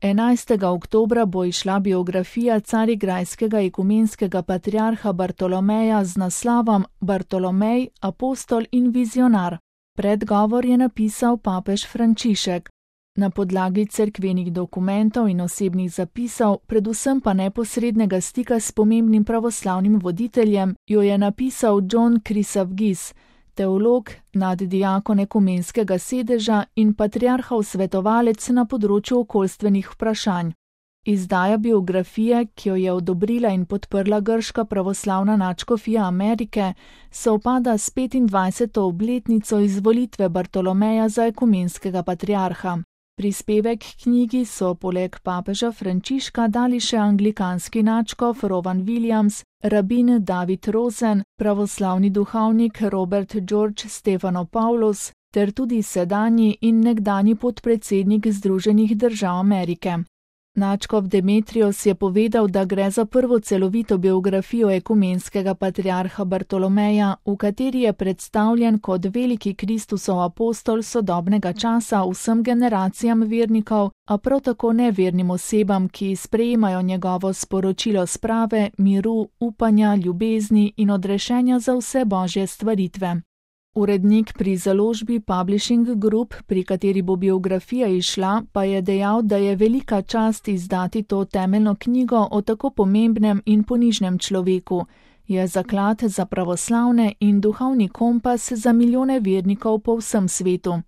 11. oktobra bo izšla biografija carigrajskega ekumenskega patriarha Bartolomeja z naslovom Bartolomej, apostol in vizionar. Predgovor je napisal papež Frančišek. Na podlagi cerkvenih dokumentov in osebnih zapisov, predvsem pa neposrednega stika s pomembnim pravoslavnim voditeljem, jo je napisal John Chrysavgis, teolog, naddiakon ekumenskega sedeža in patriarhov svetovalec na področju okoljstvenih vprašanj. Izdaja biografije, ki jo je odobrila in podprla grška pravoslavna nadškofija Amerike, sovpada s 25. obletnico izvolitve Bartolomeja za ekumenskega patriarha. Prispevek k knjigi so poleg papeža Frančiška dali še anglikanski nadškof Rowan Williams, rabin David Rosen, pravoslavni duhovnik Robert George Stephanopoulos ter tudi sedanji in nekdanji podpredsednik Združenih držav Amerike. Nadškof Demetrios je povedal, da gre za prvo celovito biografijo ekumenskega patriarha Bartolomeja, v kateri je predstavljen kot veliki Kristusov apostol sodobnega časa vsem generacijam vernikov, a prav tako nevernim osebam, ki sprejemajo njegovo sporočilo sprave, miru, upanja, ljubezni in odrešenja za vse božje stvaritve. Urednik pri založbi Publishing Group, pri kateri bo biografija izšla, pa je dejal, da je velika čast izdati to temeljno knjigo o tako pomembnem in ponižnem človeku. Je zaklad za pravoslavne in duhovni kompas za milijone vernikov po vsem svetu.